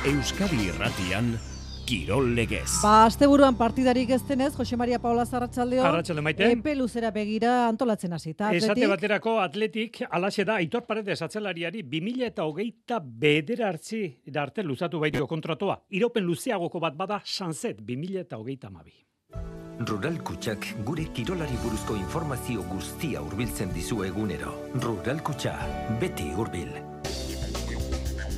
Euskadi Irratian Kirol Legez. Asteburuan partidarik ez denez, Jose Maria Paula Arratsaldeon. Arratsalde Maite. Epe luzera begira antolatzen hasita. Esate baterako Atletik alaxe da Aitor Paredes atzelariari 2029 arte luzatu baitio kontratua. Iraupen luzeagoko bat bada Sanset 2032. Rural Kutxak gure kirolari buruzko informazio guztia hurbiltzen dizu egunero. Rural Kutxa, beti hurbil.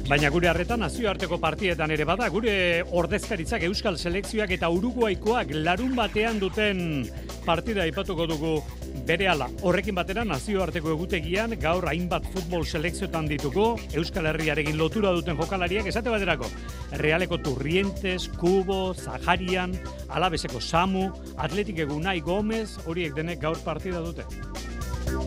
Baina gure harretan nazioarteko partietan ere bada, gure ordezkaritzak Euskal Selekzioak eta Uruguaikoak larun batean duten partida aipatuko dugu berehala. Horrekin batera nazioarteko egutegian gaur hainbat futbol selekzioetan ditugu, Euskal Herriarekin lotura duten jokalariak esate baterako. Realeko Turrientes, Kubo, Zaharian, Alabeseko Samu, Atletik Unai Gomez, horiek denek gaur partida dute.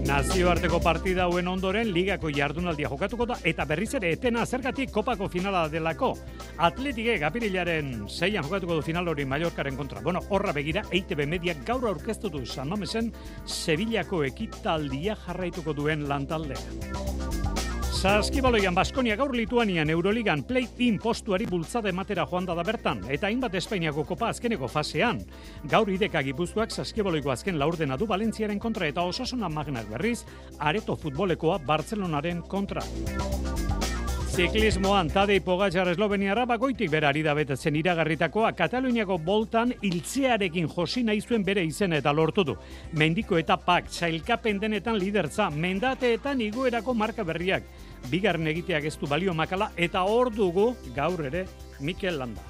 Nazioarteko partida hauen ondoren ligako jardunaldia jokatuko da eta berriz ere etena zergatik kopako finala delako. Atletikek apirilaren 6an jokatuko du final hori Mallorcaren kontra. Bueno, horra begira EITB Mediak gaur aurkeztu du San Mamesen Sevillako ekitaldia jarraituko duen lantaldea. Saskibaloian Baskonia gaur Lituanian Euroligan play-in postuari bultzada ematera joan da bertan, eta hainbat Espainiako kopa azkeneko fasean. Gaur Ideka Gipuzkoak Saskibaloiko azken laurdena du Valentziaren kontra eta Osasuna Magnak berriz Areto futbolekoa Bartzelonaren kontra. Ziklismoan Tadej Pogačar esloveniarra bagoitik bera ari da betetzen iragarritakoa Kataluniako boltan hiltzearekin josi nahi zuen bere izena eta lortu du. Mendiko etapak, sailkapen denetan lidertza, mendateetan igoerako marka berriak. Bigarren egiteak ez du balio makala eta hor dugu gaur ere Mikel Landa.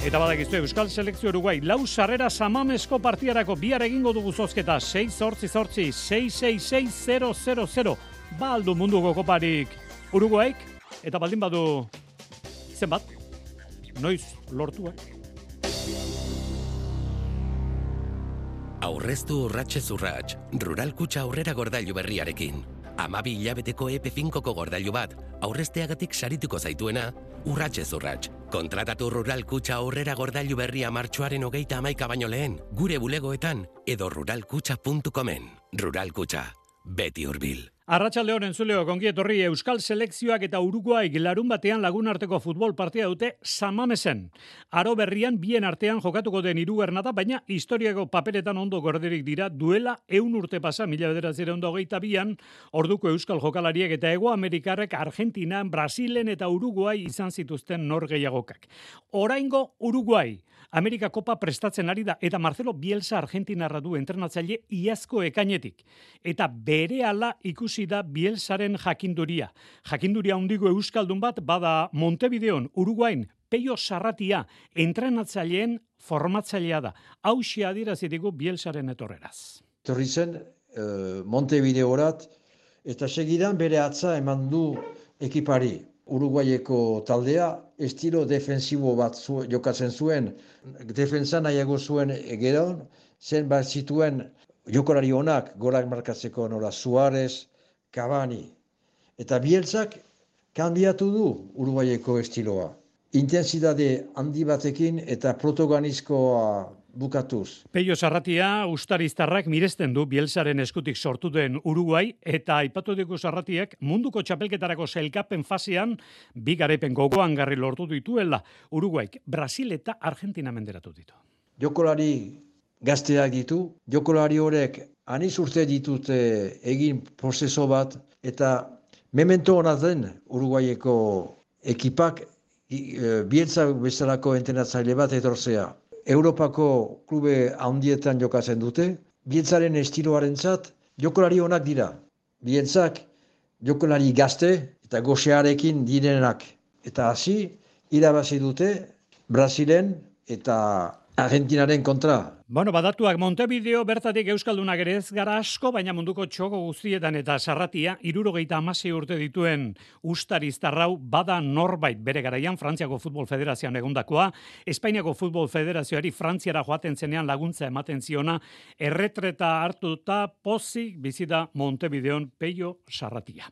Eta badakizu Euskal Selekzio Uruguai lau sarrera Samamesko partiarako bihar egingo dugu zozketa 6-8-8 666-000 ba aldu munduko koparik Uruguaik eta baldin badu zenbat noiz lortua. Aurreztu urratsez urrats, Rural Kutxa aurrera gordailu berriarekin. 12 hilabeteko EP5ko gordailu bat, aurrezteagatik sarituko zaituena, urratsez urrats. Kontratatu Rural Kutxa aurrera gordailu berria martxoaren 31 baino lehen, gure bulegoetan edo ruralkutxa.comen. Rural Kutxa, beti hurbil. Arratsaldeon entzuleo, kongi etorri Euskal Selekzioak eta Uruguai larun batean lagunarteko futbol partida dute San Mamesen. Aro berrian bien artean jokatuko den hirugarrena da, baina historiako paperetan ondo gorderik dira duela 100 urte pasa 1922an orduko Euskal jokalariek eta Hego Amerikarrek Argentinan, Brasilen eta Uruguai izan zituzten norgehiagokak. Oraingo Uruguai Amerika Kopa prestatzen ari da eta Marcelo Bielsa Argentinarra du entrenatzaile iazko ekainetik. Eta berehala ikusi da Bielsaren jakinduria. Jakinduria handiko euskaldun bat bada Montevideon, Uruguain, Peio Sarratia entrenatzaileen formatzailea da. Hauxe adierazitiko Bielsaren etorreraz. Etorri zen Montevideorat eta segidan bere atza eman du ekipari. Uruguaieko taldea estilo defensibo bat jokatzen zuen, defensa nahiago zuen gero, zen bat zituen jokolari onak gorak markatzeko nora Suarez, Cavani. Eta Bielsak kanbiatu du Uruguaieko estiloa. Intensitate handi batekin eta protagonizkoa bukatuz. Peio Sarratia ustariztarrak miresten du Bielsaren eskutik sortu den Uruguai eta aipatu dugu Sarratiak munduko txapelketarako sailkapen fasean bi garaipen gogoan garri lortu dituela. Uruguaik Brasil eta Argentina menderatu ditu. Jokolari gazteak ditu, jokolari horrek aniz urte ditute egin prozeso bat eta memento hona den Uruguaieko ekipak Bielsa bezalako entrenatzaile bat etortzea. Europako klube handietan jokatzen dute, Bieltzaren estiloarentzat jokolari onak dira. Bieltzak jokolari gazte eta goxearekin direnak. Eta hasi irabazi dute Brasilen eta Argentinaren kontra. Bueno, badatuak Montevideo bertatik euskaldunak ere ez gara asko, baina munduko txoko guztietan eta Sarratia 76 urte dituen ustariztarrau bada norbait bere garaian Frantziako Futbol Federazioan egondakoa, Espainiako Futbol Federazioari Frantziara joaten zenean laguntza ematen ziona, erretreta hartuta pozik bizita Montevideon Peio Sarratia.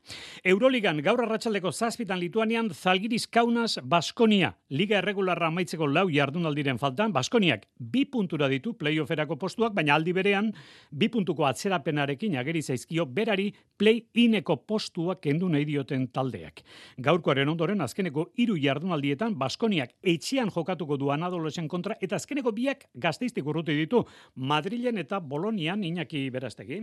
Euroligan gaur arratsaldeko 7 Lituanian Zalgiris Kaunas Baskonia, liga erregularra amaitzeko 4 jardunaldiren faltan, Baskoniak 2 puntura ditu play-offerako postuak, baina aldi berean 2 puntuko atzerapenarekin ageri zaizkio berari play-ineko postuak kendu nahi dioten taldeak. Gaurkoaren ondoren azkeneko 3 jardunaldietan Baskoniak etxean jokatuko du Anadolusen kontra eta azkeneko biak Gasteiztik urruti ditu Madrilen eta Bolonian. Iñaki Berastegi.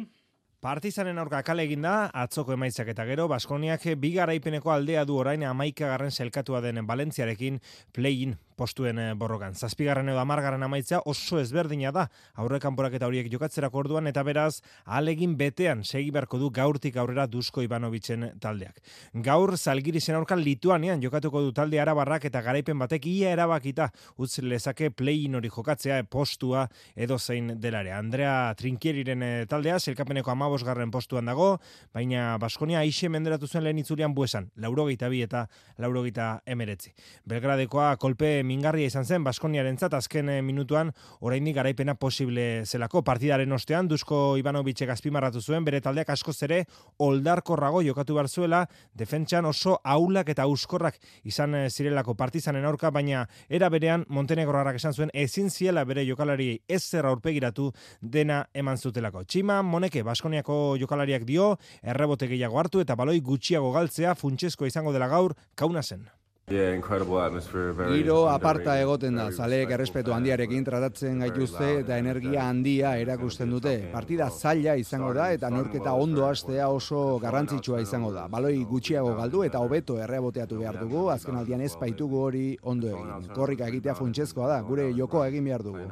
Partizanen aurka kale egin da, atzoko emaitzak eta gero, Baskoniak 2 garaipeneko aldea du orain 11. selkatua den Valentziarekin play-in postuen borrokan. 7. edo 10. amaitza oso ezberdina da, aurrekanporak eta horiek jokatzerako orduan, eta beraz, ahalegin betean segi beharko du gaurtik aurrera Dusko Ivanovicen taldeak. Gaur, Zalgirisen aurka Lituanian jokatuko du talde arabarrak eta garaipen batek ia erabakita utz lezake play-in hori jokatzea postua edo zein delare. Andrea Trinkieriren taldea, selkapeneko 15. postuan dago, baina Baskonia aixe menderatu zuen lehen itzulian buesan, 82 eta 89. Belgradekoa kolpe mingarria izan zen Baskoniarentzat azken minutuan oraindik garaipena posible zelako. Partidaren ostean Dusko Ivanovicek azpimarratu zuen bere taldeak askoz ere oldarkorrago jokatu behar zuela, defentsan oso ahulak eta auskorrak izan zirelako Partizanen aurka, baina era berean Montenegrorrak esan zuen ezin ziela bere jokalariei ezer aurpegiratu dena eman zutelako. Txima Moneke Baskoniako jokalariak dio errebote gehiago hartu eta baloi gutxiago galtzea funtsezkoa izango dela gaur Kaunasen. Giro aparta egoten da, zaleek errespetu handiarekin tratatzen gaituzte eta energia handia erakusten dute. Partida zaila izango da eta neurketa ondo hastea oso garrantzitsua izango da. Baloi gutxiago galdu eta hobeto erreboteatu behar dugu, azken aldian ez baitugu hori ondo egin. Korrika egitea funtsezkoa da, gure jokoa egin behar dugu.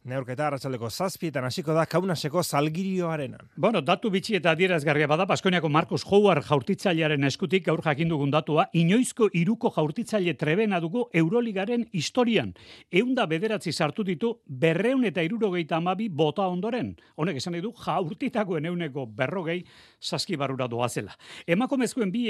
Neurketa arratsaldeko 7 hasiko da Kaunaseko Zalgirioarenan. Bueno, datu bitxi eta adierazgarria bada Baskoniako Marcos Howard jaurtitzailearen eskutik gaur jakin dugun datua, inoizko 3 jaurtitzaile trebena dugu Euroligaren historian. 109 sartu ditu 272 bota ondoren. Honek esan nahi du jaurtitakoen 140 saskibarrura doazela. Emakumezkoen bi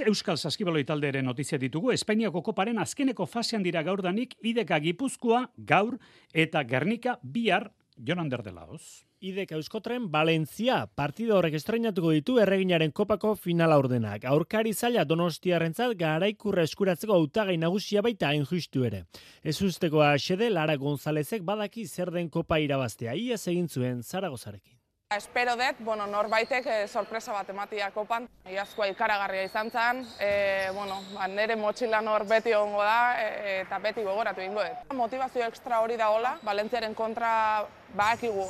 euskal saskibaloi taldearen notizia ditugu. Espainiako koparen azkeneko fasean dira gaurdanik IDK Gipuzkoa gaur eta Gernika bihar. Jonander de Laos. IDK Euskotren Valentzia partida horrek estreinatuko ditu erreginaren kopako finala ordenak. Aurkari zaila Donostiarrentzat garaikurra eskuratzeko hautagai nagusia baita hain justu ere. Ez ustekoa xede Lara Gonzalezek badaki zer den kopa irabaztea. Iaz egin zuen Zaragozarekin. Espero dut, norbaitek sorpresa bat ematia kopan. Iazkoa ikaragarria izan zen, nire motxilan hor beti ongo da eta beti gogoratu ingo dut. Motivazio ekstra hori da hola, Valentziaren kontra badakigu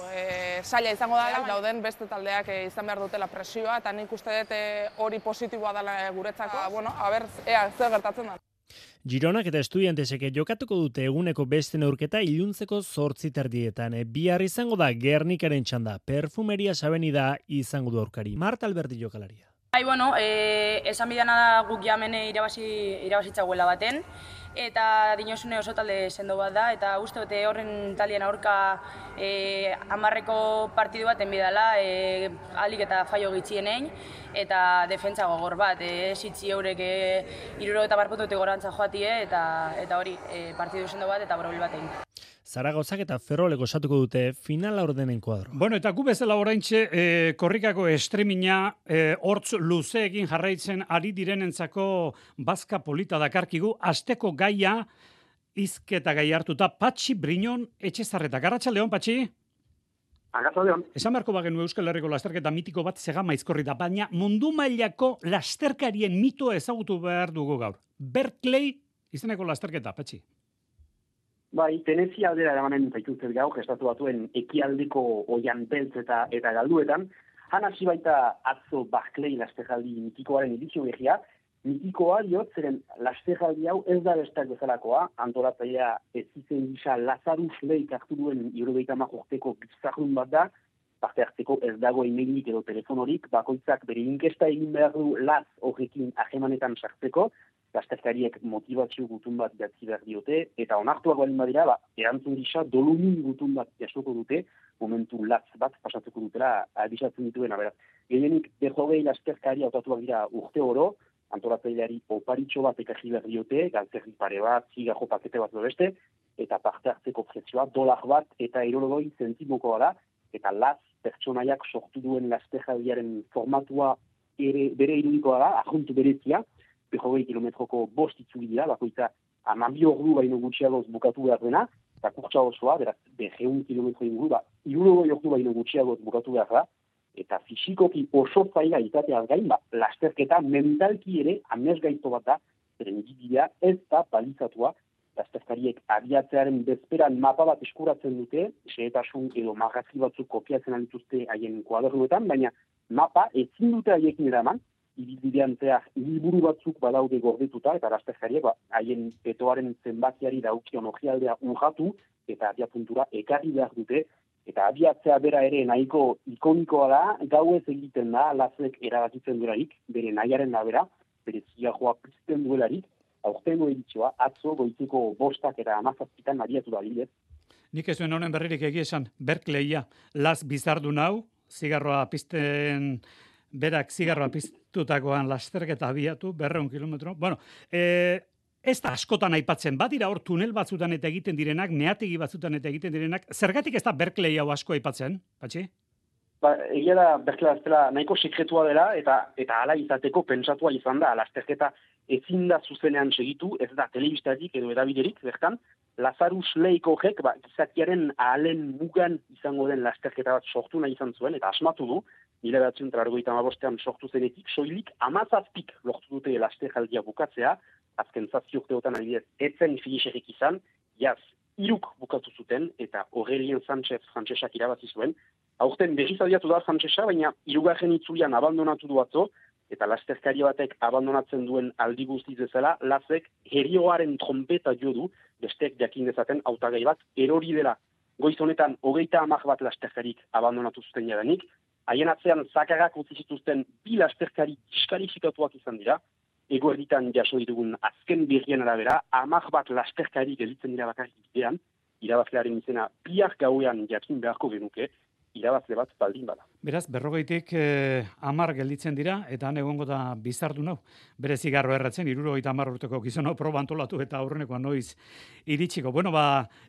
zaila izango da, dauden beste taldeak izan behar dutela presioa, eta nik uste dut hori positiboa dela guretzako. Ea zer gertatzen da. Gironak eta Estudiantesek jokatuko dute eguneko beste neurketa iluntzeko 8:00 Bihar izango da Gernikaren txanda. Perfumerias Avenida izango du aurkari. Marta Alberdi jokalaria. Esan bidana da guk jamene irabazitzaguela baten, eta dinosune oso talde sendo bat da, eta uste dute horren taldean aurka 10 partidu baten bidala, alik eta faio gitxienein, eta defentsa gogor bat, esitzi eurek 70 puntutik gorantza joatie, eta hori partidu sendo bat eta borobel batein. Zaragozak eta Ferrolek osatuko dute finala ordenen kuadro. Bueno, eta gu bezala oraintxe korrikako estremina hortz luzeekin jarraitzen ari direnentzako bazka polita dakarkigu, asteko gaia hizketa gai hartuta Patxi Briñon Etxezarreta. Arratsaldeon, Patxi? Arratsaldeon. Esan beharko bagenu Euskal Herriko lasterketa mitiko bat Zegama Aizkorri da, baina mundu mailako lasterkarien mitoa ezagutu behar dugu gaur. Berkeley izeneko lasterketa, Patxi. Bai, Tenezia aldera eramanen zaituzet gaur, Estatu Batuen ekialdeko oian beltz eta galduetan. Han hasi baita atzo Berkeley lasterjaldi mitikoaren edizio berria. Mitikoa diot, zeren lasterjaldi hau ez da bestak bezalakoa, antolatzailea ez izen gisa Lazarus Leik hartu duen 70 urteko gizarrun bat da, parte hartzeko ez dago emailik edo telefonorik, bakoitzak bere inkesta egin behar du laz horrekin ahemanetan sartzeko, lasterkariek motivazio gutun bat idatzi behar diote, eta onartuak baldin badira, erantzun gisa dolumin gutun bat jasoko dute, momentu latz bat pasatuko dutela abisatzen dituen, beraz. Gehienik, 20 lasterkari hautatuak dira urte oro, antolatzaileari oparitxo bat ekarri behar diote, galtzerri pare bat, zigarro pakete bat beste, eta parte hartzeko prezioa $1 bat eta 60 zentimokoa da, eta latz pertsonaiak sortu duen lasterkariaren formatua bere irudikoa da, ajuntu berezia, 20 kilometroko 5 itzuli dira, bakoitza 12 ordu baino gutxiagoz bukatu behar dena, eta kurtsa osoa, beraz, 100 kilometro inguru, 60 ordu baino gutxiago bukatu behar da, eta fisikoki oso zaila izateaz gain, lasterketa mentalki ere amesgaizto bat da, zeren bidea ez da balizatua, lasterkariek abiatzearen bezperan mapa bat eskuratzen dute, xehetasun edo marrazki batzuk kopiatzen dituzte haien kuadernoetan, baina mapa ezin dute haiekin eraman, ibilbidean zehar liburu batzuk badaude gordetuta, eta lasterkariek haien petoaren zenbakiari daukion orrialdea urratu, eta abiapuntura ekarri behar dute, eta abiatzea bera ere nahiko ikonikoa da, gauez egiten da, lazek erabakitzen duelarik, bere nahiaren da bera, bere ziajoa pizten duelarik, aurtengo edizioa, atzo goizeko 5 eta 17 abiatu da bidez. Nik ez duen honen berririk egia esan, Berkeleia, Las bizardu nau, zigarroa pizten, berak zigarroa piztutakoan lasterketa abiatu, 200 kilometro. Bueno, ez da askotan aipatzen, badira hor tunel batzutan eta egiten direnak, meategi batzutan eta egiten direnak, zergatik ez da Berkeley hau asko aipatzen, Patxi? Egia da Berkeley dela nahiko sekretua dela, eta hala izateko pentsatua izan da, lasterketa ezin da zuzenean segitu, ez da telebistatik edo edabiderik, bertan, Lazarus Leiko horrek, gizakiaren ahalen mugan izango den lasterketa bat sortu nahi izan zuen, eta asmatu du, 1985an sortu zenetik, soilik 17 lortu dute lasterkaldia bukatzea, azken 7 urteotan adibidez, etzen finisherik izan, jaz, 3 bukatu zuten, eta Aurelien Sánchez frantsesak irabazi zuen. Aurten berriz abiatu da frantsesa, baina 3. itzulian abandonatu du atzo, eta lasterkari batek abandonatzen duen aldi guztiz bezala, Lazek herioaren trompeta jo du, bestek jakin dezaten hautagai bat erori dela. Goiz honetan 30 bat lasterkarik abandonatu zuten jadanik, haien atzean zakarrak utzi zituzten 2 lasterkari diskalifikatuak izan dira, egoerditan jaso ditugun azken berrien arabera, 10 bat lasterkari gelditzen dira bakarrik bidean, irabazlearen izena bihar gauean jakin beharko genuke, irabazle bat baldin bada. Beraz, 40tik 10 gelditzen dira, eta han egongo da bizardu nau. Bere zigarro erratzen, 70 urteko gizon hau proba antolatu eta aurrenekoa noiz iritsiko. Bueno,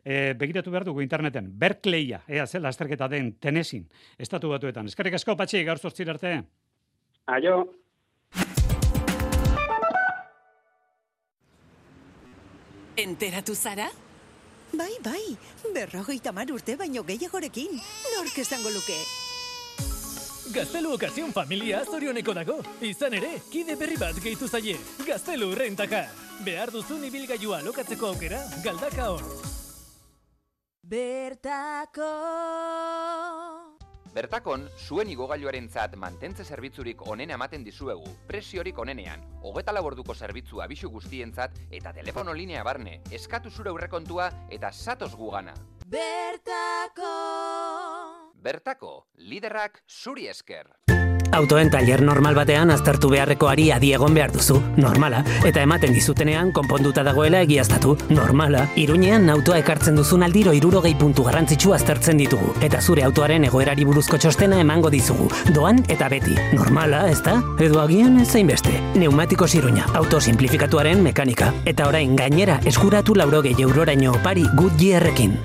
begiratu behar dugu interneten. Berkeleia, ze lasterketa den Tennesseein, estatu batuetan. Eskerrik asko, Patxi, gaur 8 arte. Aio. Enteratu zara? Bai, 50 urte baino gehiagorekin. Nork esango luke? Gaztelu Okazio familia zorioneko dago. Izan ere, kide berri bat gehitu zaie. Gaztelu Rentaka. Behar duzun ibilgailua lokatzeko aukera, galdaka hor. Bertakon, zuen igogailuarentzat mantentze zerbitzurik onena ematen dizuegu, presiorik onenean, 24 orduko zerbitzu abisu guztientzat eta telefono linea barne, eskatu zure aurrekontua eta zatoz gugana. Bertako, liderrak zuri esker. Autoen tailer normal batean aztertu beharreko ari adi egon behar duzu, normala, eta ematen dizutenean konponduta dagoela egiaztatu, normala. Iruñean autoa ekartzen duzun aldiro 60 puntu garrantzitsu aztertzen ditugu, eta zure autoaren egoerari buruzko txostena emango dizugu, doan eta beti, normala, ezta? Edo agian ez zainbeste. Neumatikos Iruña, auto simplifikatuaren mekanika, eta orain gainera eskuratu 80 euroraino opari Goodyearrekin.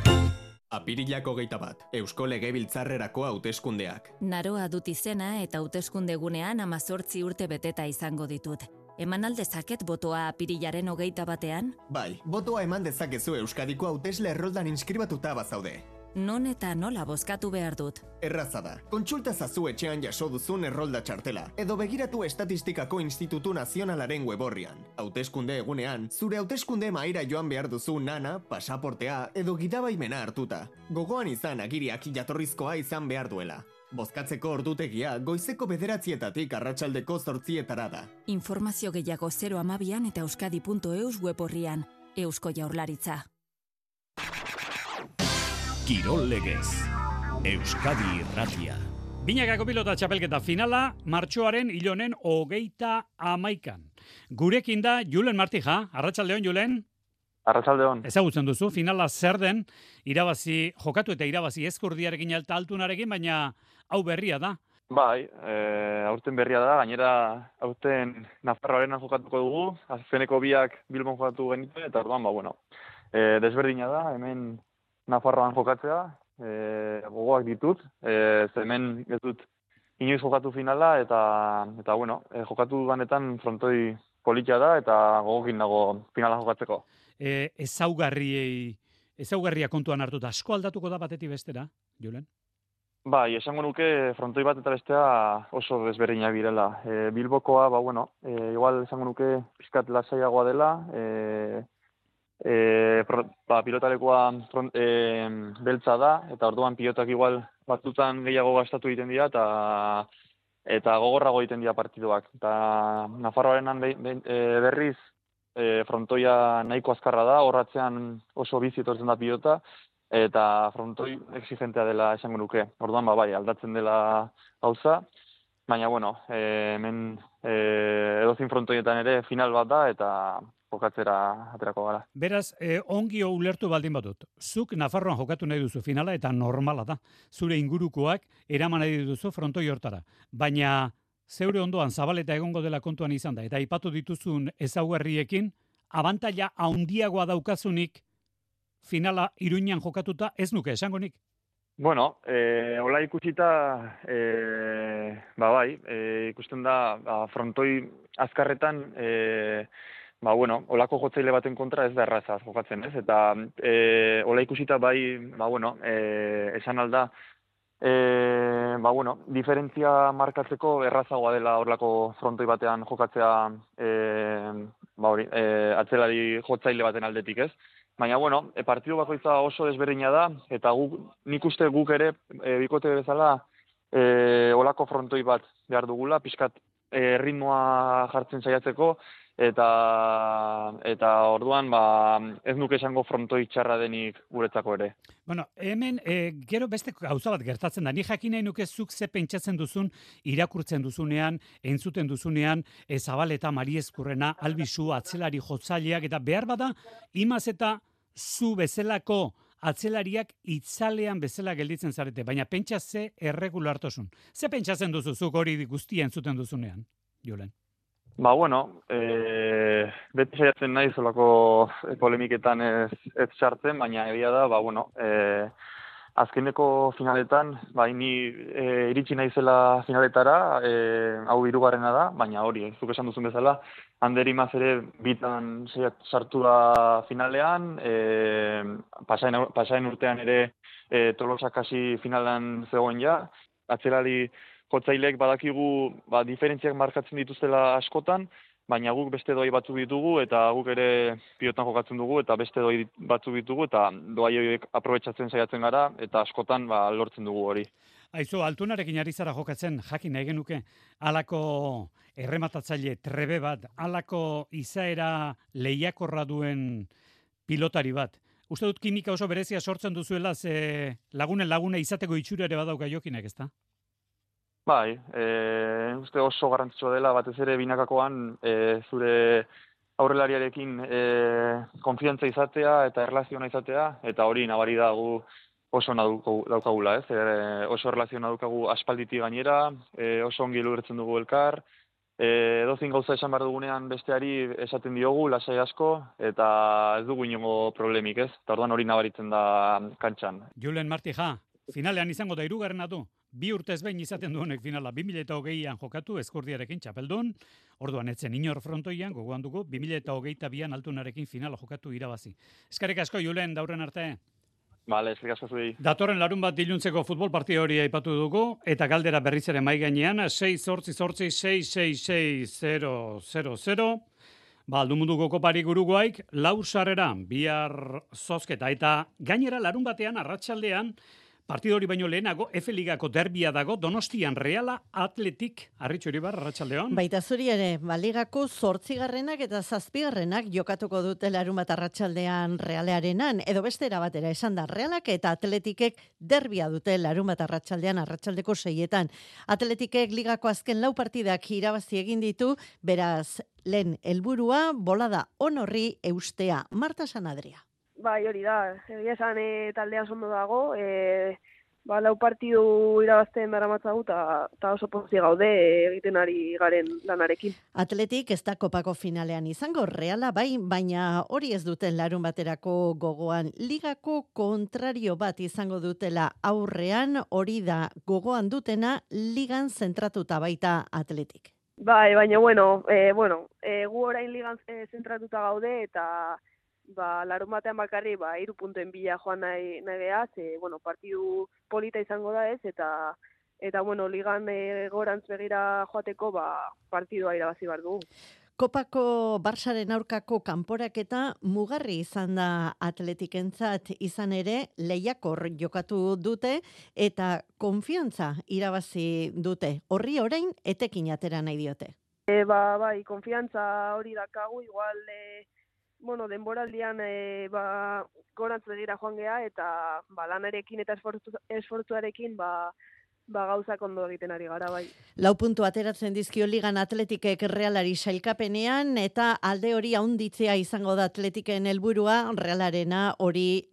Apirilak 21, Eusko Legebiltzarrerako hauteskundeak. Naroa dut izena eta hauteskunde gunean 18 urte beteta izango ditut. Eman aldezaket botoa apirilaren 21-ean? Bai, botoa eman dezakezu Euskadiko hautesle erroldan inskribatuta bazaude. Non eta nola bozkatu behar dut? Erraza da, kontsulta zazu etxean jaso duzun errolda txartela, edo begiratu Estatistikako Institutu Nazionalaren weborrian. Hauteskunde egunean, zure hauteskunde mahaira joan behar duzu nana, pasaportea, edo gidabaimena hartuta. Gogoan izan agiriak jatorrizkoa izan behar duela. Bozkatzeko ordutegia goizeko 9:00 arratsaldeko 8:00 da. Informazio gehiago 012 eta euskadi.eus weborrian. Eusko Jaurlaritza. Kirol legez, Euskadi Irratia. Binakako pilota txapelketa finala, martxoaren ilonen 31. Gurekin da Julen Martija. Arratsaldeon, Julen. Arratsaldeon. Ezagutzen duzu, finala zer den, irabazi, jokatu eta irabazi ezkurdiarekin alta altunarekin, baina hau berria da. Bai, aurten berria da, gainera aurten Nafarroaren jokatuko dugu, azkeneko biak Bilbon jokatu genituen, eta orduan, desberdina da, hemen Nafarroan jokatzea, gogoak ditut, hemen ez dut inoiz jokatu finala, eta jokatu ganetan frontoi politia da, eta gogokin dago finala jokatzeko. Ezaugarriei ezaugarria kontuan hartuta, asko aldatuko da batetik bestera, Julen? Bai, esango nuke frontoi bat eta bestea oso desberdinak direla. Bilbokoa, igual esango nuke pizkat lasaiagoa dela, pilotalekoa beltza da, eta orduan pilotak igual batzutan gehiago gastatu egiten dira, eta gogorrago egiten dira partiduak. Eta Nafarroarenan berriz frontoia nahiko azkarra da, horratzean oso bizi etortzen da pilota, eta frontoi exigentea dela esango nuke. Orduan, aldatzen dela gauza, baina, hemen edozin frontoietan ere final bat da, eta jokatzera aterako gara. Beraz, ongi ulertu baldin badut. Zuk Nafarroan jokatu nahi duzu finala, eta normala da. Zure ingurukoak eraman nahi duzu frontoi hortara. Baina, zeure ondoan zabaleta egongo dela kontuan izan da, eta aipatu dituzun ezaugarriekin, abantaila handiagoa daukazunik finala Iruñan jokatuta ez nuke esango nik. Hola ikusita, ikusten da, frontoi azkarretan, holako jotzaile baten kontra ez da erraza jokatzen, ez? Eta hola ikusita esan alda, diferentzia markatzeko errazagoa dela horlako frontoi batean jokatzea atzelari jotzaile baten aldetik, ez? Baina, partidu bakoitza oso desberdina da, eta nik uste guk ere, bikote bezala, olako frontoi bat behar dugula, pixkat ritmoa jartzen saiatzeko, eta orduan, ez nuke esango frontoi txarra denik guretzako ere. Hemen, gero beste gauza bat gertatzen da, ni jakin nahi nuke zuk ze pentsatzen duzun, irakurtzen duzunean, entzuten duzunean, Zabaleta, Mariezkurrena, Albizu, atzelari jotzaileak, eta behar bada, imaz eta zu bezalako atzelariak itzalean bezala gelditzen zarete, baina pentsa ze erregulartosun. Ze pentsatzen duzu zuk hori guztia entzuten duzunean, Julen? Beti saiatzen nahi zolako polemiketan ez sartzen, baina egia da, azkeneko finaletan, ni iritsi naizela finaletara, hau hirugarrena da, baina hori, zuk esan duzun bezala, Ander Imaz ere bitan sartu da finalean, pasain urtean ere Tolosak hasi finalean zegoen ja, atzelari jotzailek badakigu diferentziak markatzen dituztela askotan, baina guk beste doi batzuk ditugu, eta guk ere pilotan jokatzen dugu, eta beste doi batzuk ditugu, eta doai horiek aprobetxatzen saiatzen gara, eta askotan lortzen dugu hori. Aizu, Altunarekin ari zara jokatzen, jakin nahi genuke, halako errematatzaile trebe bat, halako izaera lehiakorra duen pilotari bat. Uste dut kimika oso berezia sortzen duzuela, ze lagune izateko itxura ere badauka Jokinek, ezta? Uste oso garrantzitsua dela, batez ere binakakoan zure aurrelariarekin konfiantza izatea eta erlaziona izatea, eta hori nabari da gu oso daukagula, ez? Oso erlaziona daukagu aspalditi gainera, oso ongi lurtzen dugu elkar, edozin gauza esan behar dugunean besteari esaten diogu, lasai asko, eta ez dugu inongo problemik, ez? Eta orduan hori nabaritzen da kantxan. Julen Martija, finalean izango da 3. du. 2 urtez behin izaten duenek finala, 2020an jokatu Ezkurdiarekin txapeldun, orduan etzen inor frontoian, gogoan dugu, 2022an Altunarekin finala jokatu irabazi. Eskerrik asko, Julen, daurren arte. Bale, eskerrik asko zuei. Datorren larun bat iluntzeko futbol partida hori aipatu dugu, eta galdera berriz ere mai gainean, 6-8-6-6-6-0-0-0. Aldumuduko kopari Uruguaik, 4 sarrera, bihar zozketa, eta gainera larun batean, arratsaldean, partido hori baino lehenago, F-ligako derbia dago, Donostian Reala Atletik, Arritxo Iribar, arratsaldeon. Baita zuri ere, ligako 8. eta 7. jokatuko dute larun bat arratsaldean Realearenan, edo beste erabatera esan da, Realak eta Atletikek derbia dute larun bat arratsaldeko 6etan. Atletikek ligako azken 4 partidak irabazi egin ditu, beraz, lehen helburua bolada onorri eustea. Marta Sanadria. Hori da, egia esan taldea ondo dago, 4 partidu irabazten daramatzagu eta oso pozik gaude egiten ari garen lanarekin. Atletik ez da kopako finalean izango, Reala baina hori ez duten larun baterako gogoan. Ligako kontrario bat izango dutela aurrean, hori da gogoan dutena ligan zentratuta baita Atletik. Baina gu orain ligan zentratuta gaude eta larun batean bakarri 3 puntuen bila joan nahi gea, partidu polita izango da ez, eta bueno, ligan gorantz begira joateko partidua irabazi behar dugu. Kopako Barsaren aurkako kanporaketa mugarri izan da Atletikentzat, izan ere lehiakor jokatu dute eta konfiantza irabazi dute. Horri orain etekin atera nahi diote. Bai, konfiantza hori dakagu, igual denboraldian gorantz begira joan gea eta lanarekin eta esfortzuarekin gauzak ondo egiten ari gara, bai. 4 puntu ateratzen dizkio ligan Atletikek Realari sailkapenean, eta alde hori haunditzea izango da Atletiken helburua, Realarena hori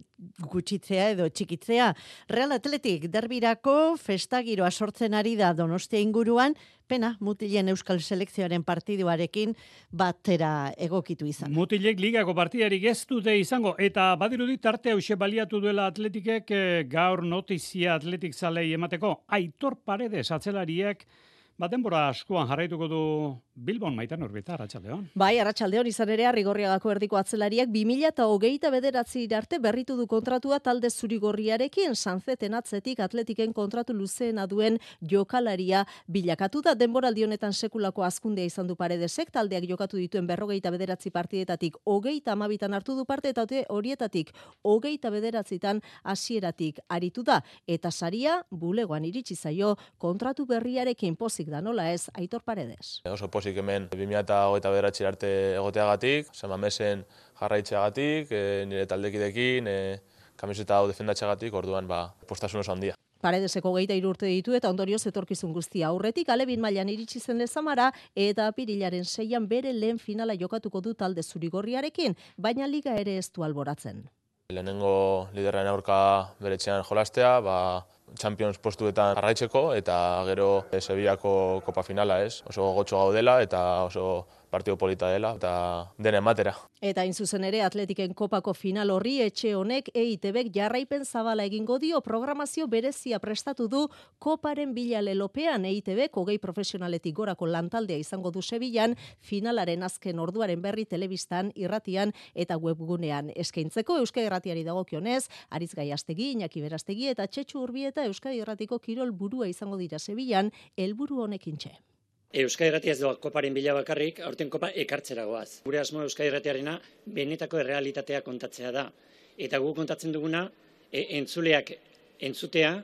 gutxitzea edo txikitzea. Real Atletik derbirako festagiroa sortzen ari da Donostia inguruan, pena mutilen euskal selekzioaren partiduarekin batera egokitu izan. Mutilek ligako partidarik ez dute izango, eta badirudi tarte hause baliatu duela Atletikek gaur notizia Atletik zalei emateko. Aitor Paredes atzelariak denbora askoan jarraituko du Bilbon, Maitan Urbita, arratsaldeon. Bai, arratsaldeon, izan ere Arrigorriagako erdiko atzelariak 2029 arte berritu du kontratua talde zurigorriarekin, Sanzeten atzetik Atletiken kontratu luzeena duen jokalaria bilakatu da. Denboraldi honetan sekulako hazkundea izan du Paredesek, taldeak jokatu dituen 29 partidetatik 32 hartu du parte, eta horietatik 29 hasieratik aritu da, eta saria bulegoan iritsi zaio kontratu berriarekin. Pozik da, nola ez, Aitor Paredes. Oso pozik hemen 2029 arte egoteagatik, San Mamesen jarraitzeagatik, nire taldekidekin, kamiseta hau defendatzeagatik, orduan postasun oso handia. Paredeseko 23 urte ditu eta ondorioz etorkizun guztia aurretik, Alebin mailan iritsi zen Lezamara eta apirilaren 6an bere lehen finala jokatuko du talde zurigorriarekin, baina liga ere ez du alboratzen. Lehenengo liderren aurka beretxean jolastea, Champions postuetan jarraitzeko, eta gero Sevillako kopa finala ez. Oso gotxo gaudela eta oso partido polita dela, eta dena ematera. Eta hain zuzen ere Atletiken kopako final horri etxe honek EITBek jarraipen zabala egingo dio, programazio berezia prestatu du koparen bila lelopean. EITBek 20 profesionaletik gorako lantaldea izango du Sevillan, finalaren azken orduaren berri telebistan, irratian eta webgunean eskaintzeko. Euskadi Irratiari dagokionez, Aritz Gaiastegi, Iñaki Berastegi eta Txetxu Urbieta Euskadi Irratiko kirol burua izango dira Sevillan, helburu honekin txe. Euskadi Irratia ez doa koparen bila bakarrik, aurten kopa ekartzera goaz. Gure asmo Euskadi Irratiarena benetako errealitatea kontatzea da. Eta gu kontatzen duguna, entzuleak entzutea,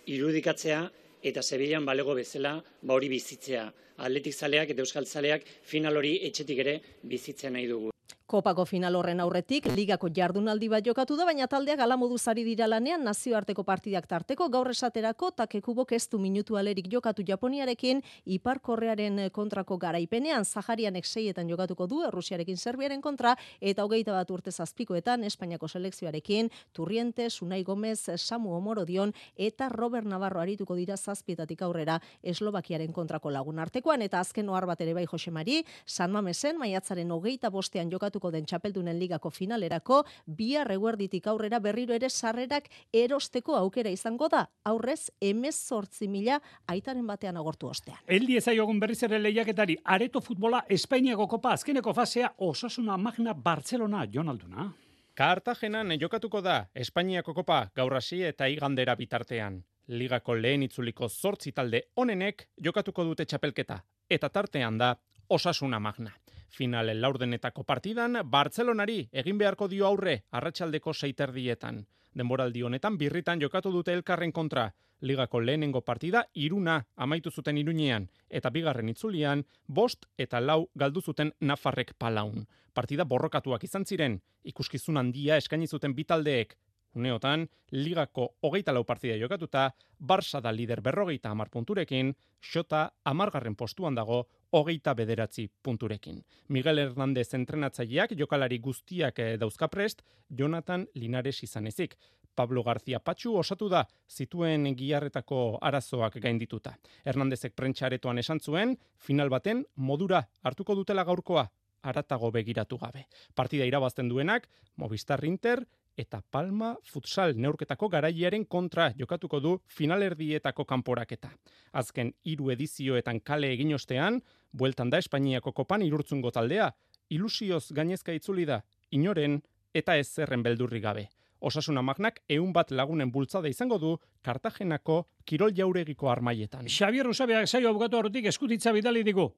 irudikatzea, eta Sevillan balego bezala hori bizitzea. Atletik zaleak eta euskal zaleak final hori etxetik ere bizitzea nahi dugu. Kopako final horren aurretik, ligako jardunaldi bat jokatu da, baina taldeak hala moduz ari dira lanean nazioarteko partidak tarteko, gaur esaterako Takekubok ez du minutu alerik jokatu Japoniarekin, Ipar Korearen kontrako garaipenean, Zaharianek 6etan jokatuko du, Errusiarekin Serbiaren kontra, eta 21 urte zazpikoetan, Espainiako selekzioarekin, Turrientes, Unai Gomez, Samu Omorodion, eta Robert Navarro arituko dira 7etatik aurrera Eslovakiaren kontrako lagun artekoan, eta azken ohar bat ere bai Jose Mari, San Mamesen, maiatzaren 25ean jokatu den txapeldunen ligako finalerako, bihar eguerditik aurrera berriro ere sarrerak erosteko aukera izango da, aurrez 18.000 aitaren batean agortu ostean. Eldi ezaiogun berriz ere lehiaketari, Areto futbola Espainiako kopa azkeneko fasea Osasuna Magna Barcelona, Jon Alduna. Kartagenan jokatuko da Espainiako kopa gaur hasi eta igandera bitartean. Ligako lehen itzuliko 8 talde onenek jokatuko dute txapelketa, eta tartean da Osasuna Magna. Finalen laurdenetako partidan, Bartzelonari egin beharko dio aurre arratsaldeko 6:30. Denboraldi honetan birritan jokatu dute elkarren kontra. Ligako lehenengo partida 3 amaitu zuten Iruñean, eta bigarren itzulian 5 eta 4 galdu zuten Nafarrek Palaun. Partida borrokatuak izan ziren, ikuskizun handia eskaini zuten bi taldeek. Uneotan, ligako 24 partida jokatuta, Barça da lider 50 punturekin, Xota 10. postuan dago 29 punturekin. Miguel Hernández entrenatzaileak jokalari guztiak dauzkaprest, Jonathan Linares izan ezik. Pablo García Patxu osatu da, zituen giharretako arazoak gaindituta. Hernándezek prentxaretoan esan zuen, final baten modura hartuko dutela gaurkoa, haratago begiratu gabe. Partida irabazten duenak, Movistar Inter eta Palma futsal neurketako garailearen kontra jokatuko du finalerdietako kanporaketa. Azken 3 edizioetan kale egin ostean, bueltan da Espainiako kopan Irurtzungo taldea, ilusioz gainezka itzuli da, inoren eta ez zerren beldurri gabe. Osasuna Magnak 100 lagunen bultzada izango du Kartagenako kirol jauregiko armaietan. Xabier Usabeak saio abokatu aurretik eskutitza bidali digu.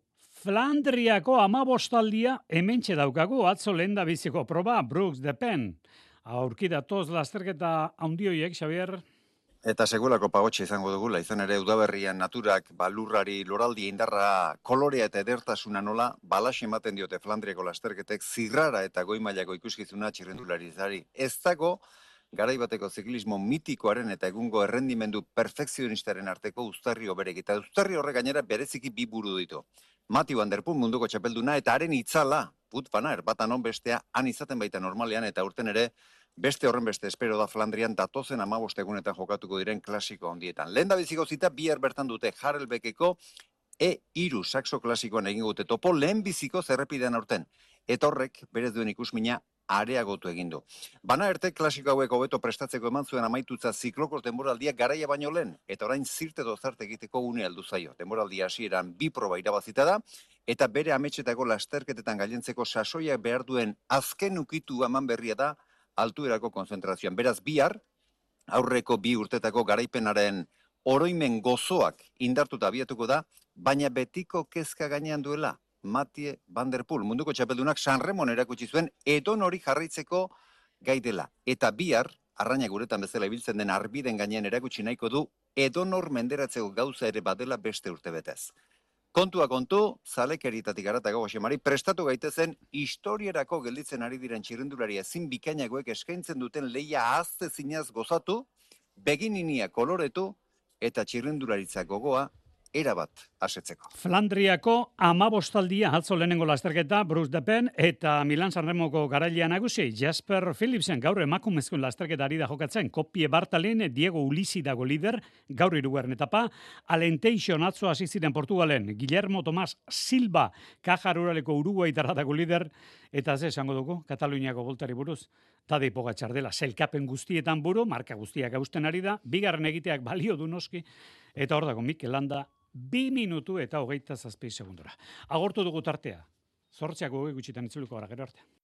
Flandriako 15 hementxe daukagu atzo lenda biziko proba Brooks de Pen. Aurkidatoz lasterketa handioiek, Xabier. Eta seguelako pagotxe izango dugula, izan ere udaberrian naturak balurrari loraldi indarra kolorea eta edertasuna nola balaxe ematen diote Flandriako lasterketek zirrara eta goi mailako ikuskizuna txirrendularizari. Ez dago garaibateko ziklismo mitikoaren eta egungo errendimendu perfekzionistaren arteko uztarri oberek. Eta uztarri horrek gainera bereziki bi buru ditu. Matthew van der Poel munduko txapelduna eta haren itzala, Wout van Aert bata non bestea han izaten baita normalean eta urten ere beste horren beste espero da Flandrian datozen 15 egunetan jokatuko diren klasiko handietan. Lehen da biziko zita bihar bertan dute Harelbekeko E3 saxo klasikoan egingo dute topo lehen biziko zerrepidean aurten. Eta horrek berez duen ikusmina areagotu egin du. Van Aertek klasiko hauek hobeto prestatzeko eman zuen amaitutza ziklokos denboraldia garaia baino lehen, eta orain zirte dozarte egiteko une aldu zaio. Denboraldia hasieran 2 proba irabazita da, eta bere ametsetako lasterketetan gailentzeko sasoiak behar duen azken ukitu eman berria da altuerako konzentrazioan. Beraz bihar, aurreko 2 urtetako garaipenaren oroimen gozoak indartuta abiatuko da, baina betiko kezka gainean duela. Mathieu van der Poel, munduko txapeldunak Sanremon erakutsi zuen edon hori jarraitzeko gai dela. Eta bihar, arraina guretan bezala ibiltzen den arbiden gainean erakutsi nahiko du edonor menderatzeko gauza ere badela beste urtebetez. Kontua kontu, zalekeritatik aratago Josemari, prestatu gaitezen historierako gelditzen ari diren txirrendulari ezin bikainagoek eskaintzen duten lehia ahazte zinaz gozatu, begininia koloretu eta txirrendularitza gogoa erabat asetzeko. Flandriako 15 atzo lehenengo lasterketa Brooks de Pen eta Milan Sanremoko garailea nagusi Jasper Philipsen gaur emakumezkoen lasterketa ari da jokatzen. Kopie Bartalen Diego Ulisi dago lider, gaur 3. etapa. Alenteison atzo hasi ziren Portugalen. Guillermo Tomás Silva Caja Ruraleko Uruguaitarra dago lider eta ze esango dugu Kataluniako voltari buruz. Tadej Pogačar dela sailkapen guztietan buru, marka guztiak hausten ari da, bigarren egiteak balio du noski eta hor dago Mikel Landa 2 minutu eta 27 segundora. Agortu dugu tartea. 8 gutxitan itzuliko gara gero arte.